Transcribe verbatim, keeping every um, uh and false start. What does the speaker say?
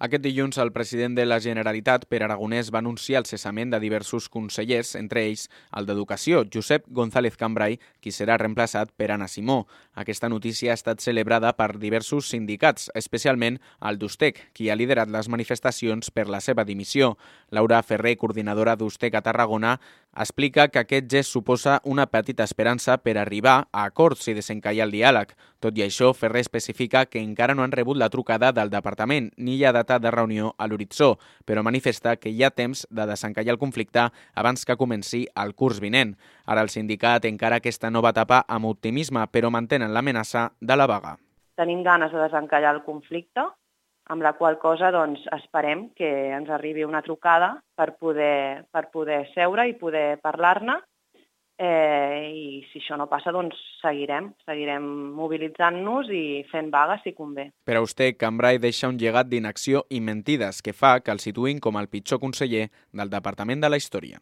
Aquest dilluns, el president de la Generalitat, Pere Aragonès, va anunciar el cessament de diversos consellers, entre ells el d'Educació, Josep González Cambray, qui serà reemplaçat per Anna Simó. Aquesta notícia ha estat celebrada per diversos sindicats, especialment el d'Ustec, qui ha liderat les manifestacions per la seva dimissió. Laura Ferrer, coordinadora d'Ustec a Tarragona, explica que aquest gest suposa una petita esperança per arribar a acords i desencallar el diàleg. Tot i això, Ferrer especifica que encara no han rebut la trucada del departament ni hi ha data de reunió a l'horitzó, però manifesta que hi ha temps de desencallar el conflicte abans que comenci el curs vinent. Ara el sindicat encara aquesta nova etapa amb optimisme, però mantenen l'amenaça de la vaga. Tenim ganes de desencallar el conflicte, amb la qual cosa doncs, esperem que ens arribi una trucada per poder, per poder seure i poder parlar-ne. Eh, I si això no passa, doncs seguirem, seguirem mobilitzant-nos i fent vagues si convé. Per a Ustec, Cambray deixa un llegat d'inacció i mentides que fa que el situïn com el pitjor conseller del Departament de la Història.